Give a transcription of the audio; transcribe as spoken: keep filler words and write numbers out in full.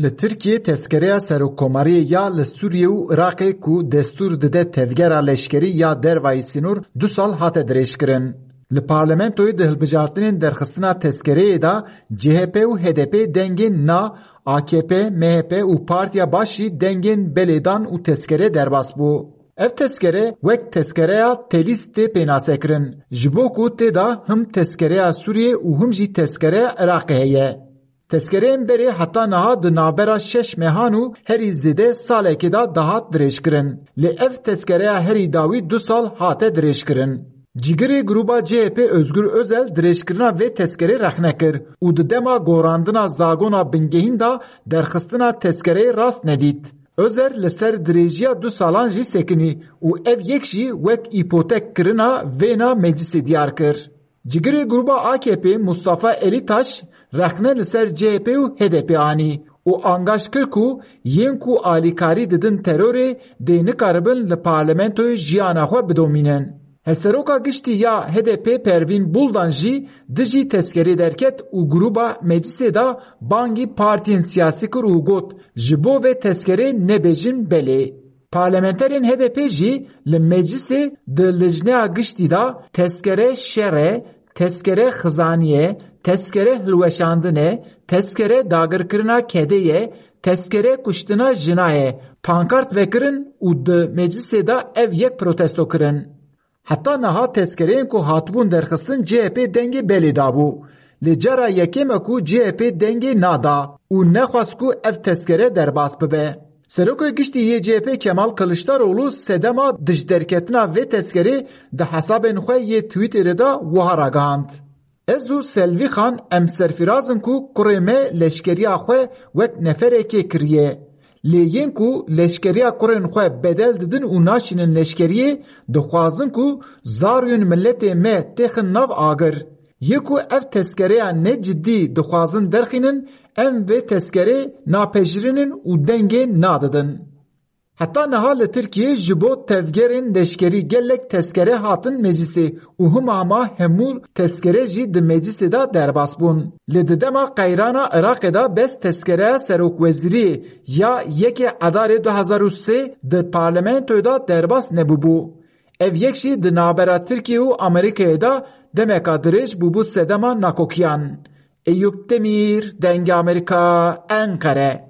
Li Tirkiyê tezkereya serokkomariyê ya li Sûriyê û Iraqê ku destûr dide tevgera leşkerî ya dervayî sînor du sal hate dirêjkirin. Li parlamentoyê di hilbijartinên derxistina tezkereyê de C H P û H D P dengên na, A K P, M H P û Partiya Baş jî dengên belê dan û tezkere derbas bû. Ev tezkere wek tezkereya Telîs tê pênasekirin, ji bo ku tê de him tezkereya Sûriyê û him jî tezkereya Iraqê heye. Tezkereyên berê heta niha di navbera şeş mehan û herî zêde salekê de dihat dirêjkirin. Lê ev tezkereya herî dawî du sal hate dirêjkirin. Cîgirê grûba C H P Özgür Özel dirêjkirina vê tezkerê rexne kir û di dema gorandina zagona bingehîn de derxistina tezkereyê rast nedît. Özel li ser dirêjiya du salan jî sekinî û ev yek jî wek îpotek kirina vêna meclisê diyar kir. Cigirê grûba A K P Mustafa Elîtaş rexne li ser C H P û H D P anî û angaş kir ku yên ku alîkarî didin terorê dê nikaribin li parlamentoyê jiyana xwe bidomînin. Hevseroka giştî ya H D P Pervîn Buldan jî dijî tezkerê derket û grûba meclisê de bangî partiyên siyasî kir û got, ji bo vê tezkerê nebêjin belê. Parlamenterên H D P jî li meclisê di lijneya giştî de tezkere şer e, tezkere xizanî ye, tezkere hilweşandin e, tezkere dagirkirina kedê ye, tezkere kuştina jina ye, pankart vekirin û di meclisê de ev yek protesto kirin. Heta niha tezkereyên ku hatibûn derxistin C H P dengê belê dabû. Lê cara yekêm e ku C H P dengê nada û nexwest ku ev tezkere derbas bibe. Serokê Giştî yê C H P Kemal Kiliçdaroglu sedema dijderketina vê tezkerê di hesabên xwe yê Twitterê de wiha ragihand. Ez û Selvî Xan em serfiraz in ku kurê me leşkeriya xwe wek neferekê kiriye. Lê yên ku leşkeriya kurên xwe bedel didin û naşînin leşkeriyê, dixwazin ku zarûyên miletê me têxin nav agir. Yê ku ev tezkereya ne cidî dixwazin derxînin, em vê tezkerê napejirînin û dengê nadidin. Heta niha li Tirkiyê ji bo tevgerên leşkerî gelek tezkere hatin meclisê û hima hima hemû tezkere jî di meclisê de derbas bûn. Lê di dema qeyrana Iraqê de bes tezkereya serokwezîriyê ya yekê Edarê du hezar û sê di parlamentoyê de derbas nebûbû. Ev yek jî di navbera Tirkiye û Amerîkayê de demeka dirêj bûbû sedema nakokiyan. Eyûp Demîr, Dengê Amerîka, Enqere.